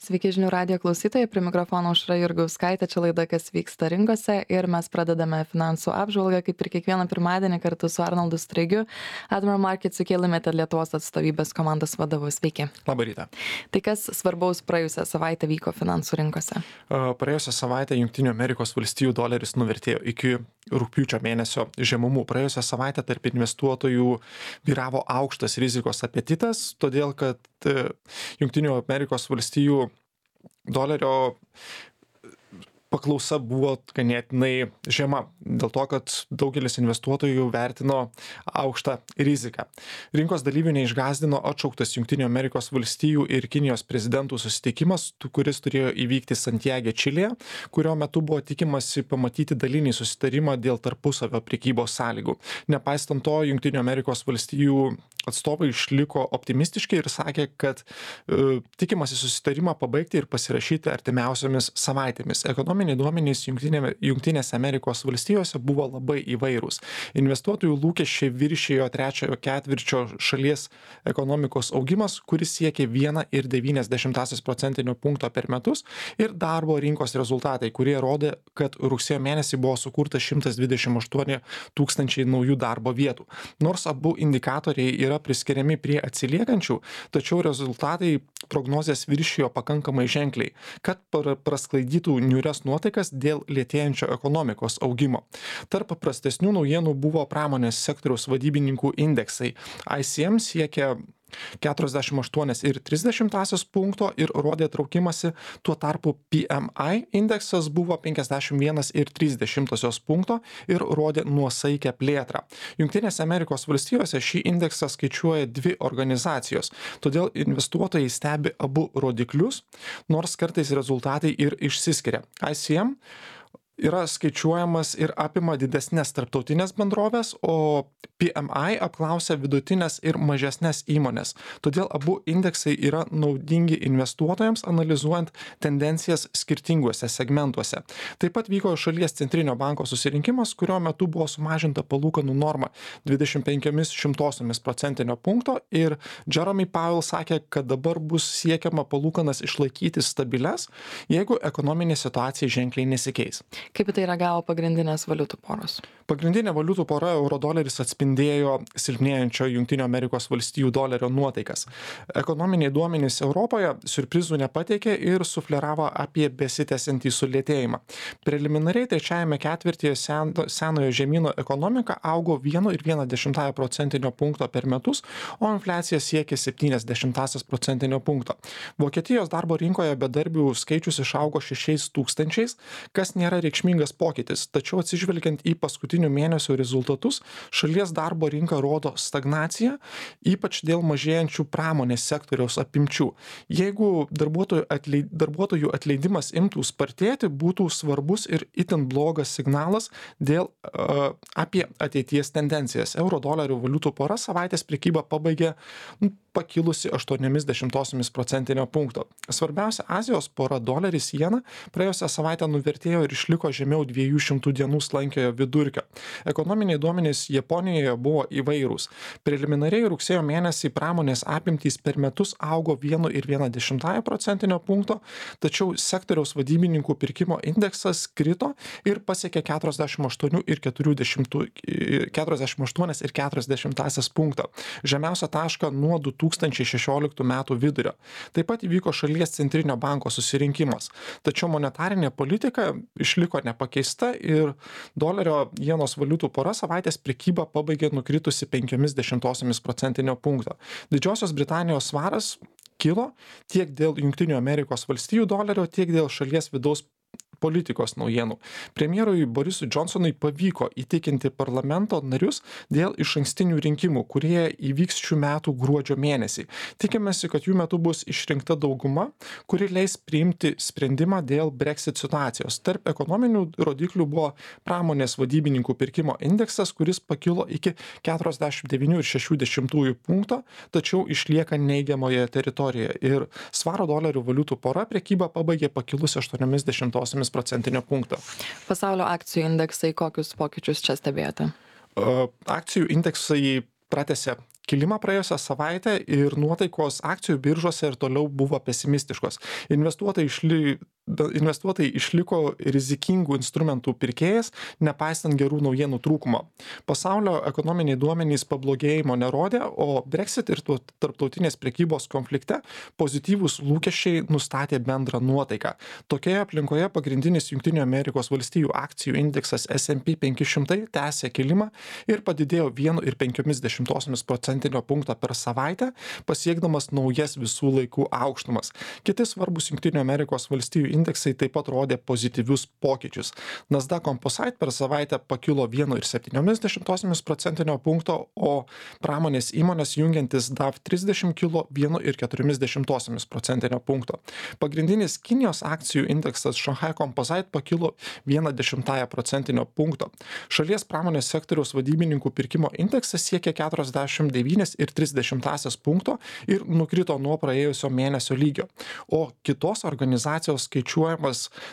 Sveiki žinių radijo klausytojai, prie mikrofono Aušra Jurgauskaitė, čia laida Kas vyksta rinkose ir mes pradedame finansų apžvalgą, kaip ir kiekvieną pirmadienį kartu su Arnoldu Straigiu, Admiral Markets UK Limited Lietuvos atstovybės komandos vadovu. Sveiki. Labą rytą. Tai kas svarbaus praėjusią savaitę vyko finansų rinkose? Praėjusią savaitę Jungtinių Amerikos valstijų doleris nuvertėjo iki rugpjūčio mėnesio žemumų. Praėjusią savaitę tarp investuotojų vyravo aukštas rizikos apetitas, todėl kad Jungtinių Amerikos valstijų dolerio paklausa buvo ganėtinai žema, dėl to, kad daugelis investuotojų vertino aukštą riziką. Rinkos dalyvių neišgąsdino atšauktas Jungtinių Amerikos valstijų ir Kinijos prezidentų susitikimas, kuris turėjo įvykti Santiage, Čilėje, kurio metu buvo tikimasi pamatyti dalinį susitarimą dėl tarpusavio prekybos sąlygų. Nepaisant to, Jungtinių Amerikos valstijų atstovai išliko optimistiški ir sakė, kad tikimasi susitarimą pabaigti ir pasirašyti artimiausiomis savaitėmis. Ekonominiai duomenys Jungtinėse Amerikos valstijose buvo labai įvairūs. Investuotojų lūkesčiai viršijo trečiojo ketvirčio šalies ekonomikos augimas, kuris siekė 1,9 procentinio punkto per metus, ir darbo rinkos rezultatai, kurie rodė, kad rugsėjo mėnesį buvo sukurta 128 tūkstančiai naujų darbo vietų. Nors abu indikatoriai yra priskiriami prie atsiliekančių, tačiau rezultatai prognozės viršijo pakankamai ženkliai, kad prasklaidytų niūrias nuotaikas dėl lėtėjančio ekonomikos augimo. Tarp prastesnių naujienų buvo pramonės sektoriaus vadybininkų indeksai. ICM siekia 48,3 punkto ir rodė traukimąsi, tuo tarpu PMI indeksas buvo 51,3 punkto ir rodė nuosaikę plėtrą. Jungtinėse Amerikos valstijose šį indeksą skaičiuoja dvi organizacijos, todėl investuotojai stebi abu rodiklius, nors kartais rezultatai ir išsiskiria. ICM yra skaičiuojamas ir apima didesnės tarptautinės bendrovės, o PMI apklausia vidutinės ir mažesnės įmonės. Todėl abu indeksai yra naudingi investuotojams, analizuojant tendencijas skirtinguose segmentuose. Taip pat vyko šalies centrinio banko susirinkimas, kurio metu buvo sumažinta palūkanų norma 25 procentinio punkto ir Jeremy Powell sakė, kad dabar bus siekiama palūkanas išlaikyti stabilias, jeigu ekonominė situacija ženkliai nesikeis. Kaip į tai reagavo pagrindinės valiutų poros? Pagrindinė valiutų pora eurodoleris atspindėjo silpnėjančio Jungtinių Amerikos valstijų dolerio nuotaikas. Ekonominiai duomenys Europoje siurprizų nepateikė ir sufleravo apie besitęsiantį sulėtėjimą. Preliminariai trečiajame ketvirtyje senojo žemyno ekonomika augo 1,1 procentinio punkto per metus, o infliacija siekė 0,7 procentinio punkto. Vokietijos darbo rinkoje bedarbių skaičius išaugo 6 tūkstančiais, kas nėra reikšmingas pokytis, tačiau atsižvelgiant į paskutinių mėnesių rezultatus, šalies darbo rinka rodo stagnaciją, ypač dėl mažėjančių pramonės sektoriaus apimčių. Jeigu darbuotojų atleidimas imtų spartėti, būtų svarbus ir itin blogas signalas apie ateities tendencijas. Euro-dolerių valiutų pora savaitės prekybą pabaigė pakilusi 0,8 procentinio punkto. Svarbiausia Azijos pora doleris jena praėjusią savaitę nuvertėjo ir išliko žemiau 200 dienų slankiojo vidurkio. Ekonominiai duomenys Japonijoje buvo įvairūs. Preliminariai rugsėjo mėnesį pramonės apimtys per metus augo 1,1 procentinio punkto, tačiau sektoriaus vadybininkų pirkimo indeksas krito ir pasiekė 48,4 punkto. Žemiausią tašką nuo 2016 metų vidurio. Taip pat įvyko šalies centrinio banko susirinkimas. Tačiau monetarinė politika išliko nepakeista ir dolerio jenos valiutų pora savaitės prekybą pabaigė nukritusi 0,5 procentinio punkto. Didžiosios Britanijos svaras kilo tiek dėl Jungtinių Amerikos valstijų dolerio, tiek dėl šalies vidaus politikos naujienų. Premjerui Borisui Johnsonui pavyko įtikinti parlamento narius dėl išankstinių rinkimų, kurie įvyks šių metų gruodžio mėnesį. Tikimasi, kad jų metu bus išrinkta dauguma, kuri leis priimti sprendimą dėl Brexit situacijos. Tarp ekonominių rodiklių buvo pramonės vadybininkų pirkimo indeksas, kuris pakilo iki 49,6 punkto, tačiau išlieka neigiamoje teritorijoje. Ir svaro dolerių valiutų pora prekybą pabaigė pakilusi 0,8 procentinio punkto. Pasaulio akcijų indeksai, kokius pokyčius čia stebėjote? Akcijų indeksai pratęsė kilimą praėjusią savaitę ir nuotaikos akcijų biržose ir toliau buvo pesimistiškos. Investuotojai išliko rizikingų instrumentų pirkėjas, nepaisant gerų naujienų trūkumo. Pasaulio ekonominiai duomenys pablogėjimo nerodė, o Brexit ir tarptautinės prekybos konflikte pozityvūs lūkesčiai nustatė bendrą nuotaiką. Tokioje aplinkoje pagrindinis Junktinių Amerikos valstijų akcijų indeksas S&P 500 tęsė kilimą ir padidėjo 1,5% punkto per savaitę, pasiekdamas naujas visų laikų aukštumas. Kiti svarbus Junktinių Amerikos valstijų indeksai taip pat rodė pozityvius pokyčius. Nasdaq Composite per savaitę pakilo 1,7% punkto, o pramonės įmonės jungiantis DAV 30 kilo 1,4% punkto. Pagrindinis Kinijos akcijų indeksas Shanghai Composite pakilo 0,1% punkto. Šalies pramonės sektoriaus vadybininkų pirkimo indeksas siekė 49,3 punkto ir nukrito nuo praėjusio mėnesio lygio. O kitos organizacijos skaičiuojamas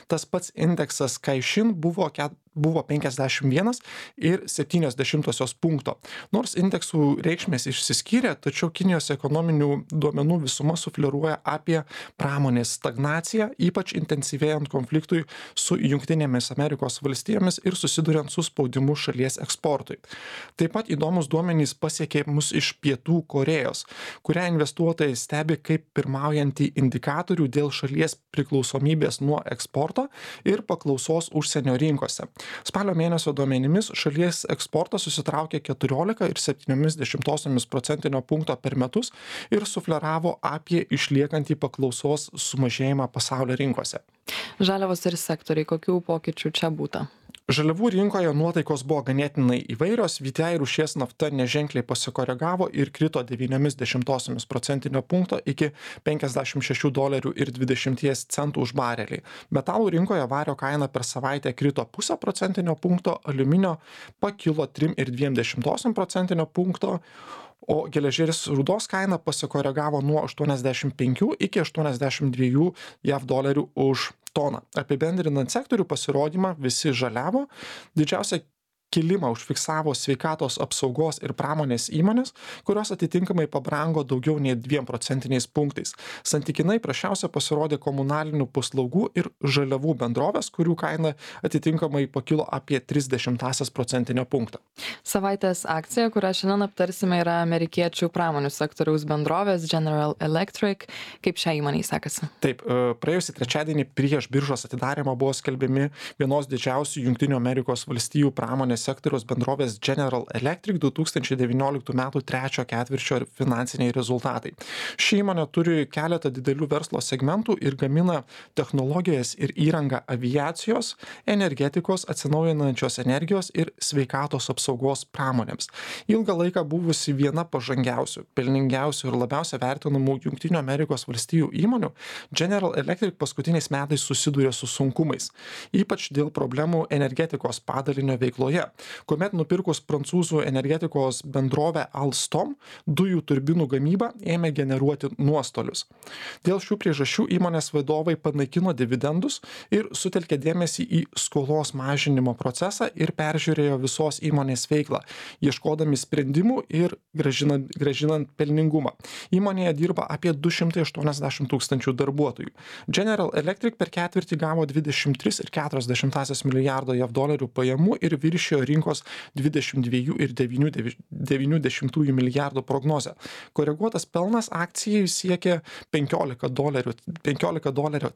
tas pats indeksas Caixin buvo 51,7 punkto. Nors indeksų reikšmės išsiskyrė, tačiau Kinijos ekonominių duomenų visuma sufleruoja apie pramonės stagnaciją, ypač intensyvėjant konfliktui su Junktinėmis Amerikos valstijomis ir susiduriant su spaudimu šalies eksportui. Taip pat įdomus duomenys pasiekė mus iš Pietų Korėjos, kurią investuotojai stebi kaip pirmaujantį indikatorių dėl šalies priklausomybės nuo eksporto ir paklausos užsienio rinkose. Spalio mėnesio duomenimis šalies eksportas susitraukė 14,7% punkto per metus ir sufleravo apie išliekantį paklausos sumažėjimą pasaulio rinkose. Žaliavos ir sektoriai, kokių pokyčių čia būta? Žaliavų rinkoje nuotaikos buvo ganėtinai įvairios, VTI rūšies nafta neženkliai pasikoregavo ir krito 0,9% punkto iki $56,20 už barelį. Metalų rinkoje vario kaina per savaitę krito 0,5% punkto, aliuminio pakilo 3,2% punkto, o geležies rūdos kaina pasikoregavo nuo 85 iki 82 JAV dolerių už toną. Apibendrinant sektorių pasirodymą, visi žaliavo. Didžiausia kilimą užfiksavo sveikatos apsaugos ir pramonės įmonės, kurios atitinkamai pabrango daugiau nei 2% punktais. Santykinai prasčiausia pasirodė komunalinių paslaugų ir žaliavų bendrovės, kurių kaina atitinkamai pakilo apie 0,3% punkto. Savaitės akcija, kurią šiandien aptarsime, yra amerikiečių pramonių sektoriaus bendrovės General Electric. Kaip šią įmonę sekasi? Taip, praėjusį trečiadienį prieš biržos atidarymą buvo skelbiami vienos didžiausių Junktinių Amerikos valstijų pramonės sektoriaus bendrovės General Electric 2019 metų trečio ketvirčio finansiniai rezultatai. Ši įmonė turi keletą didelių verslo segmentų ir gamina technologijas ir įrangą aviacijos, energetikos, atsinaujinančios energijos ir sveikatos apsaugos pramonėms. Ilgą laiką buvusi viena pažangiausių, pelningiausių ir labiausiai vertinamų Junktinių Amerikos valstijų įmonių, General Electric paskutiniais metais susidūrė su sunkumais, ypač dėl problemų energetikos padalinio veikloje, kuomet nupirkus prancūzų energetikos bendrovę Alstom, dujų turbinų gamyba ėmė generuoti nuostolius. Dėl šių priežasčių įmonės vadovai panaikino dividendus ir sutelkė dėmesį į skolos mažinimo procesą ir peržiūrėjo visos įmonės veiklą, ieškodami sprendimų ir grąžinant pelningumą. Įmonėje dirba apie 280 tūkstančių darbuotojų. General Electric per ketvirtį gavo 23,4 milijardo JAV dolerių pajamų ir viršijo rinkos 22,9 milijardų prognozę. Koreguotas pelnas akcijai siekė 15 dolerio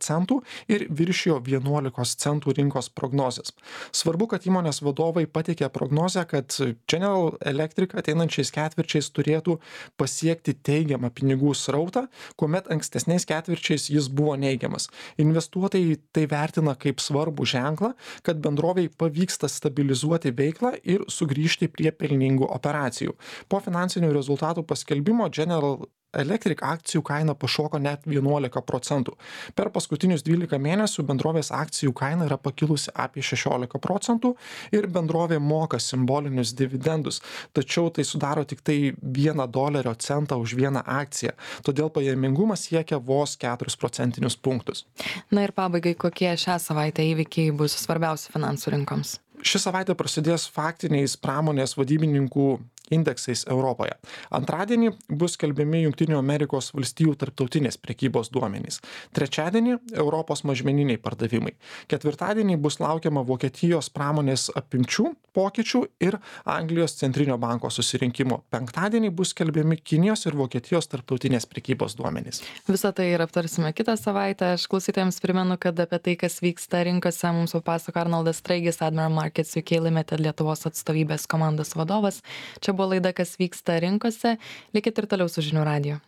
centų ir viršijo 11 centų rinkos prognozės. Svarbu, kad įmonės vadovai pateikė prognozę, kad General Electric ateinančiais ketvirčiais turėtų pasiekti teigiamą pinigų srautą, kuomet ankstesniais ketvirčiais jis buvo neigiamas. Investuotojai tai vertina kaip svarbų ženklą, kad bendroviai pavyksta stabilizuoti veiklą ir sugrįžti prie pelningų operacijų. Po finansinių rezultatų paskelbimo General Electric akcijų kaina pašoko net 11%. Per paskutinius 12 mėnesių bendrovės akcijų kaina yra pakilusi apie 16% ir bendrovė moka simbolinius dividendus, tačiau tai sudaro tik tai $1 už vieną akciją, todėl pajamingumas siekia vos 4% punktus. Na ir pabaigai, kokie šią savaitę įvykiai bus svarbiausi finansų rinkoms? Ši savaitė prasidės faktiniais pramonės vadybininkų indeksais Europoje. Antradienį bus skelbiami Junktinių Amerikos valstijų tarptautinės prekybos duomenys. Trečiadienį Europos mažmeniniai pardavimai. Ketvirtadienį bus laukiama Vokietijos pramonės apimčių pokyčių ir Anglijos centrinio banko susirinkimo. Penktadienį bus skelbiami Kinijos ir Vokietijos tarptautinės prekybos duomenys. Visą tai ir aptarsime kitą savaitę. Aš klausytojams primenu, kad apie tai, kas vyksta rinkose, mums papasako Arnoldas Straigis, Admiral Markets UK Limited Lietuvos atstovybės komandos vadovas. Čia buvo laida, kas vyksta rinkose. Likit ir toliau su žinių radiju.